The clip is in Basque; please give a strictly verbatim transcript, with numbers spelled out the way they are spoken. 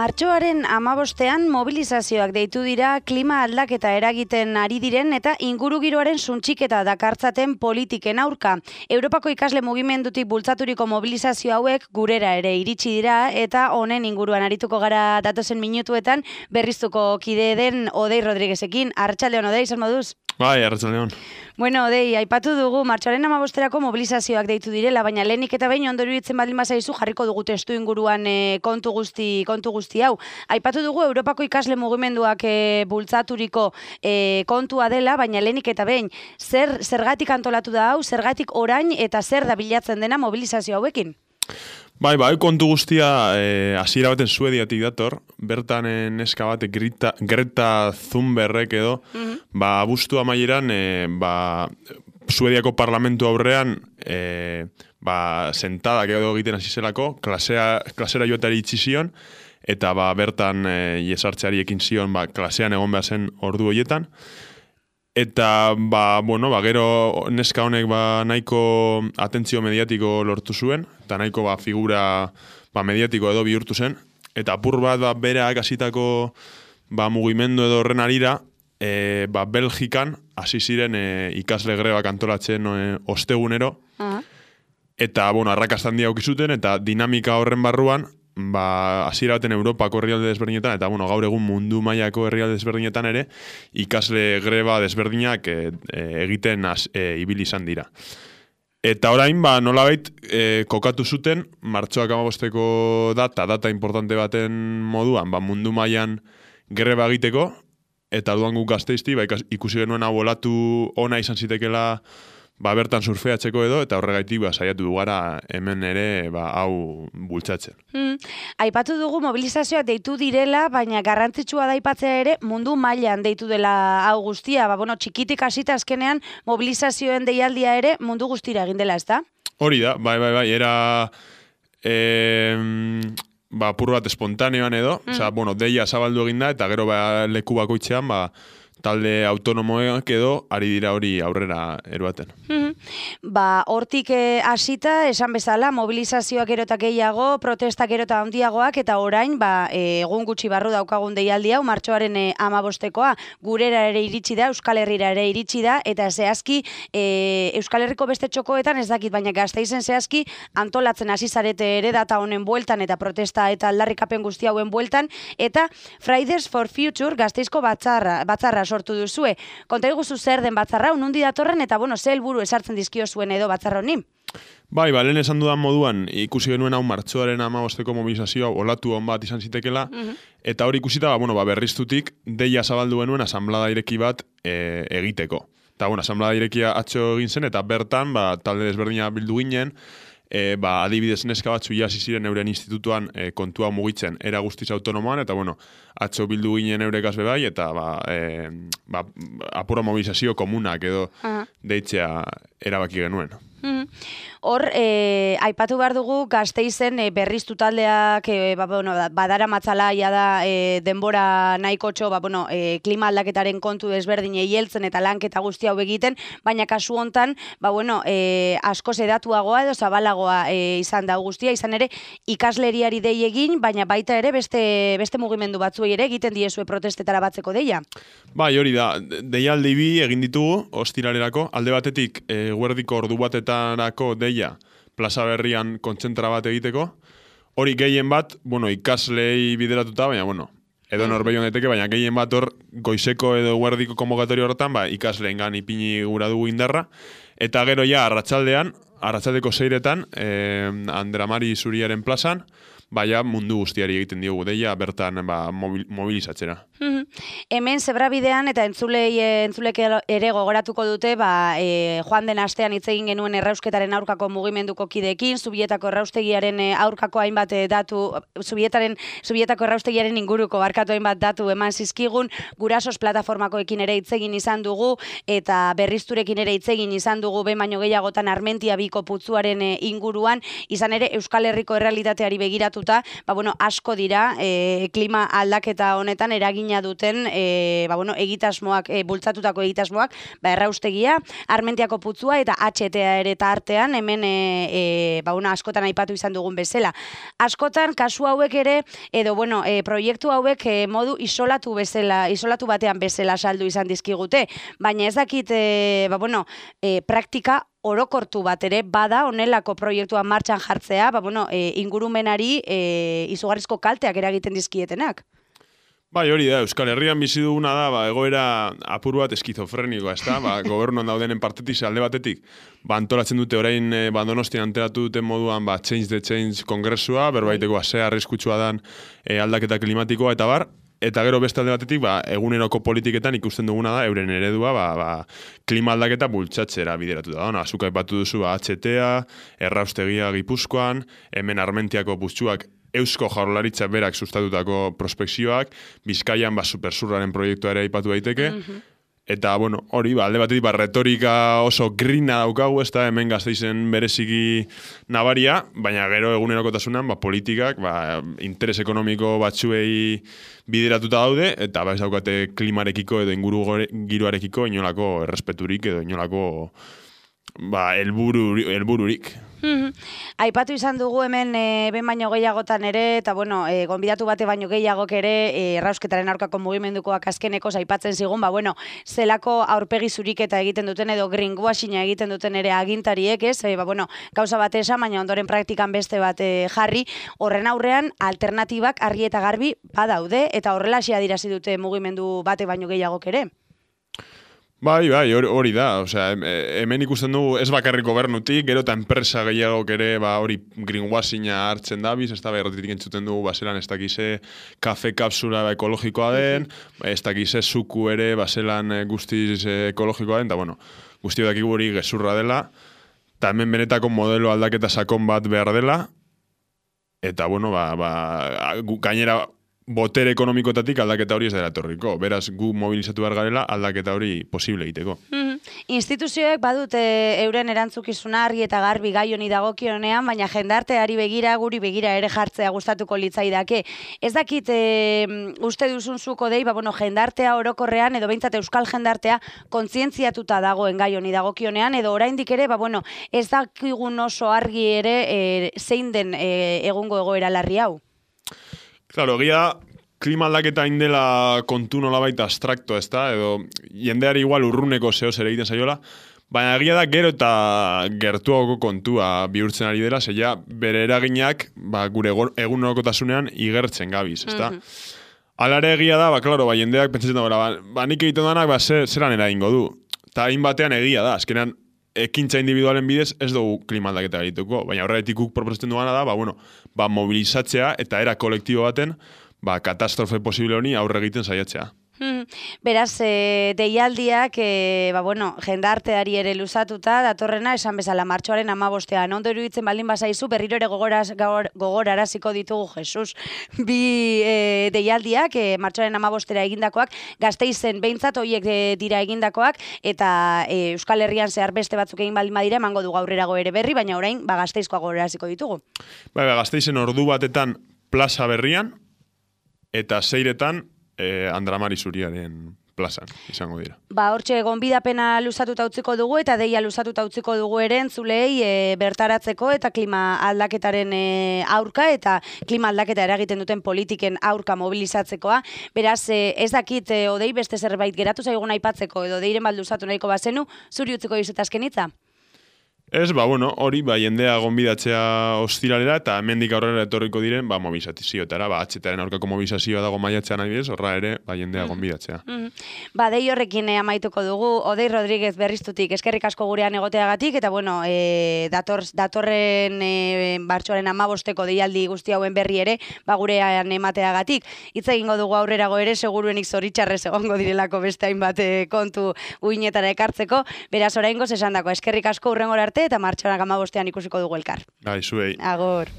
Martxoaren hamabostean mobilizazioak deitu dira klima aldaketa eragiten ari diren eta ingurugiroaren suntxiketa dakartzaten politiken aurka. Europako ikasle mugimendutik bultzaturiko mobilizazio hauek gurera ere iritsi dira eta honen inguruan arituko gara datozen minutuetan berriztuko kide den Odei Rodriguezekin. Arratsaldeon, Odei, zer moduz? Bai, arratsaldeon. Bueno, Odei, aipatu dugu martxoaren hamabosterako mobilizazioak deitu direla, baina lehenik eta behin ondo iruditzen baldin bazaizu jarriko dugu testu inguruan e, kontu guzti kontu guzti hau. Aipatu dugu Europako ikasle mugimenduak e, bultzaturiko e, kontua dela, baina lehenik eta behin zer zergatik antolatu da hau, zergatik orain eta zer da bilatzen dena mobilizazio hauekin? Bai, bai, kontu guztia eh, hasiera baten Suediatik dator, bertan eh, neska bat Greta, Greta Thunbergek edo, mm-hmm. ba, abuztu amaieran, eh, ba, Suediako parlamentu aurrean, eh, ba, sentadak edo egiten hasi zelako, klasea, klasera joatari itxi zion, eta ba, bertan eh, iesartzeari ekin zion, ba, klasean egon behar zen ordu horietan. Eta, ba, bueno, ba, gero neska honek ba, nahiko atentzio mediatiko lortu zuen, eta nahiko ba, figura ba, mediatiko edo bihurtu zen. Eta apur bat ba, berak hasitako ba, mugimendu edo horren arira, e, ba, Belgikan hasi ziren e, ikasle grebak antolatzen e, ostegunero. Uh-huh. Eta, bueno, arrakasta handia aukizuten, eta dinamika horren barruan, ba, hasiera baten Europako herrialde desberdinetan, eta bueno, gaur egun mundu mailako herrialde desberdinetan ere, ikasle greba desberdinak e, e, egiten az, e, ibili izan dira. Eta orain, ba, nolabait, e, kokatu zuten, martxoak hamabosteko data, data importante baten moduan, ba, mundu mailan greba egiteko, eta orduan guk Gasteizti, ba, ikusi genuen hau olatu ona izan zitekela, ba, bertan surfeatzeko edo, eta horregaitik ba, saiatu dugara hemen ere ba, hau bultzatzen. Hmm. Aipatu dugu mobilizazioak deitu direla, baina garrantzitsua da aipatzea ere mundu mailan deitu dela hau guztia. Ba, bueno, txikitik hasita azkenean mobilizazioen deialdia ere mundu guztira egin dela, ezta? Hori da, bai, bai, bai, era eh, ba, pur bat espontaneoan edo, hmm. Osa, bueno, deia zabaldu egin da, eta gero ba, leku bakoitzean, ba, talde autonomoak edo ari dira hori aurrera eruaten. Mm-hmm. Ba, hortik hasita, eh, esan bezala, mobilizazioak gero eta gehiago, protestak gero eta handiagoak, eta orain, ba, eh, egun gutxi barru daukagun deialdi hau, martxoaren eh, hamabostekoa, gurera ere iritsi da, Euskal Herrira ere iritsi da, eta zehazki, eh, Euskal Herriko beste txokoetan ez dakit, baina Gasteizen zehazki, antolatzen hasi zarete ere data honen bueltan, eta protesta eta aldarrikapen guzti hauen bueltan, eta Fridays for Future Gasteizko batzarra, batzarra sortu duzue. Konta iguzu zer den batzarra, unundi datorren, eta bueno, ze helburu esartzen dizkio zuen edo batzarra honi? Bai, ba, lehen esan dudan moduan, ikusi genuen hau martxoaren hamabosteko mobilizazioa olatu on bat izan zitekela, mm-hmm. Eta hori ikusita, ba, bueno, ba, berriztutik, deia zabaldu genuen asanblada ireki bat e, egiteko. Eta, bueno, asanblada irekia atxo egin zen, eta bertan, ba, talde desberdina bildu ginen, E, ba, adibidez neska batzu jasi ziren euren institutuan e, kontua mugitzen era guztiz autonomoan, eta bueno, atzo bildu ginen eurekaz bebai, eta ba, e, ba, apura mobilizazio komunak edo uh-huh. deitzea erabaki genuen. Hor, eh, aipatu behar dugu Gasteizen eh, berriztu taldeak eh, ba, bueno, badara matzala ja da eh, denbora nahikotxo ba, bueno, eh, klima aldaketaren kontu desberdinei heltzen eta lanketa guzti hau egiten, baina kasu hontan ba, bueno, eh, asko sedatuagoa edo zabalagoa eh, izan da guztia, izan ere ikasleriari dei egin, baina baita ere beste, beste mugimendu batzuei ere egiten diezue protestetara batzeko deia. Bai, hori da, deialdi bi egin ditugu ostiralerako, alde batetik eh, guerdiko ordu batetarako deia plaza berrian kontzentra bat egiteko. Hori gehien bat, bueno, ikaslei bideratuta, baina, bueno, edo norbeion deteke, baina gehien bat hor goizeko edo guerdiko konvokatorio horretan, ba, ikasleengan ipini gura dugu indarra. Eta gero ja, arratsaldean, arratsaldeko seiretan, eh, Andramari Zuriaren plazan, baina mundu guztiari egiten diogu deia, bertan ba, mobil, mobilizatzera. Mm-hmm. Hemen zebrabidean eta entzulei, entzulek ere gogoratuko dute, ba, e, joan den astean hitz egin genuen errausketaren aurkako mugimenduko kideekin, Zubietako erraustegiaren aurkako hainbat datu, Zubietaren, Zubietako erraustegiaren inguruko barkatu hainbat datu eman zizkigun, gurasos plataformakoekin ere hitz egin izan dugu, eta berrizturekin ere hitz egin izan dugu, behin baino gehiagotan Armentia biko putzuaren inguruan, izan ere Euskal Herriko errealitateari begiratu bultzatuta, ba, bueno, asko dira e, klima aldaketa honetan eragina duten e, ba, bueno, egitasmoak, e, bultzatutako egitasmoak, ba, erraustegia, Armentiako putzua eta H T A ere tartean, hemen e, e, ba, bueno, askotan aipatu izan dugun bezala. Askotan, kasu hauek ere, edo, bueno, e, proiektu hauek e, modu isolatu bezala, isolatu batean bezala saldu izan dizkigute, baina ez dakit, e, ba, bueno, e, praktika orokortu bat ere bada honelako proiektua martxan jartzea, ba, bueno, e, ingurumenari e, izugarrizko kalteak eragiten dizkietenak. Bai, hori da, Euskal Herrian bizi duguna da, ba, egoera apur bat eskizofrenikoa, ez da, ba, gobernuan daudenen partetik, alde batetik, ba, antolatzen dute orain e, ba, Donostian anteratu duten moduan, ba, Change the Change kongresua, berbaiteko azea arriskutsua dan e, aldaketa klimatikoa, eta bar, eta gero beste alde batetik, ba, eguneroko politiketan ikusten duguna da, euren eredua, ba, ba, klima aldaketa bultzatzera bideratu da. Ona, azuka ipatu duzu, ba, H T A, erraustegia Gipuzkoan, hemen Armentiako putzuak Eusko Jaurlaritza berak sustatutako prospekzioak, Bizkaian ba, supersurraren proiektua ere aipatu daiteke, mm-hmm. Eta, bueno, hori, ba, alde batetik, ba, retorika oso grina daukagu, ez da, hemen Gasteizen bereziki nabaria, baina gero egunerokotasunan, ba, politikak, ba, interes ekonomiko batzuei bideratuta daude, eta ba, ez daukate klimarekiko edo inguru giroarekiko inolako errespeturik edo inolako ba, elburu, elbururik. Mm-hmm. Aipatu izan dugu hemen e, ben baino gehiagotan ere, eta bueno, e, gonbidatu bate baino gehiagok ere e, errausketaren aurkako mugimendukoak azkeneko aipatzen zigun, ba bueno, zelako aurpegi zuriketa egiten duten edo greenwashinga egiten duten ere agintariek, ez? E, ba bueno, gauza bat esan, baina ondoren praktikan beste bat e, jarri, horren aurrean alternatibak argi eta garbi badaude, eta horrelaxe adierazi dute mugimendu bate baino gehiagok ere. Bai, bai, hori da, osea, hemen ikusten dugu ez bakarrik gobernutik, gero eta enpresa gehiagok ere, ba, hori greenwashinga hartzen dabiz, ez da, berrotitik entzuten dugu, baselan, ez dakize kafe kapsula ba, ekologikoa den, ez dakize suku ere, baselan guztiz ekologikoa den, eta, bueno, guztio dakigu hori gezurra dela, eta hemen benetako modelo aldaketa sakon bat behar dela, eta, bueno, ba, ba, gainera, botere ekonomikotatik aldaketa hori ez dela etorriko. Beraz, gu mobilizatu behar garela aldaketa hori posible egiteko. Mm-hmm. Instituzioek badute euren erantzukizuna argi eta garbi gai honi dagokionean, baina jendarteari begira, guri begira ere jartzea gustatuko litzaidake. Ez dakit e, uste duzun zuko dei, ba, bueno, jendartea orokorrean, edo behintzat euskal jendartea kontzientziatuta dagoen gai honi dagokionean, edo oraindik ere, ba, bueno, ez dakigun oso argi ere e, zein den e, egungo egoera larri hau. Claro, egia klima aldaketa indela kontu nolabait abstrakto, ez da? Edo jendeari igual urruneko zehoz ere egiten zaiola, baina egia da gero eta gertuago kontua bihurtzen ari dela, zeia bere eraginak ba, gure egunerokotasunean igertzen gabiz, ez da? Mm-hmm. Alare egia da, ba, klaro, ba, jendeak pentsatzen da, ba, ba, nik egiten danak, ba, zeran eragingo du. Eta hain batean egia da, azkenean, ekintza individualen bidez ez dugu klima aldaketa egituko, baina horregatik guk proposatzen duana da, ba, bueno, ba, mobilizatzea eta era kolektibo baten ba, katastrofe posible honi aurre egiten saiatzea. Hmm. Beraz, e, deialdiak, e, ba, bueno, jendarteari ere luzatuta, datorrena, esan bezala, martxoaren hamabostean. Ondo iruditzen baldin bazaizu, berriro ere gogoraz, gogor, gogoraraziko ditugu, Jesus. Bi e, deialdiak, e, martxoaren hamabostera egindakoak, Gasteizen behintzat horiek e, dira egindakoak, eta e, Euskal Herrian zehar beste batzuk egin baldin badira, emango du gaurrerago ere berri, baina orain, ba, Gasteizkoa gogoraraziko ditugu. Ba, ba, Gasteizen ordu batetan plaza berrian, eta zeiretan Eh, Andramari Zuriaren plazan izango dira. Ba, hortxe, gonbidapena luzatuta utziko dugu eta deia luzatuta utziko dugu ere entzulei e, bertaratzeko eta klima aldaketaren e, aurka eta klima aldaketa eragiten duten politiken aurka mobilizatzekoa. Beraz, e, ez dakit e, odei beste zerbait geratu zaigun aipatzeko edo deiren bat luzatu nahiko bazenu, zuri utziko dizut azkenitza? Ez, ba, bueno, hori, ba, jendea gonbidatzea ostiralera eta hemendik aurrera etorriko diren, ba, mobilizazioetara, ba, H T A-ren aurkako mobilizazioa dago maiatzean adibidez, horra ere, ba, jendea gonbidatzea. Mm-hmm. Ba, dei horrekin amaituko dugu, Odei Rodríguez Berriztutik, eskerrik asko gurean egoteagatik, eta, bueno, e, dator, datorren e, martxoaren hamabosteko deialdi guzti hauen berri ere, ba, gurean emateagatik. Hitz egingo dugu aurrerago ere, seguruenik zoritxarrez egongo direlako beste hainbat kontu uinetara ekartzeko, beraz oraingoz esandako, eskerrik asko hurrengora arte, eta martxoaren hamabostean ikusiko dugu elkar. Bai, zuei. Agor.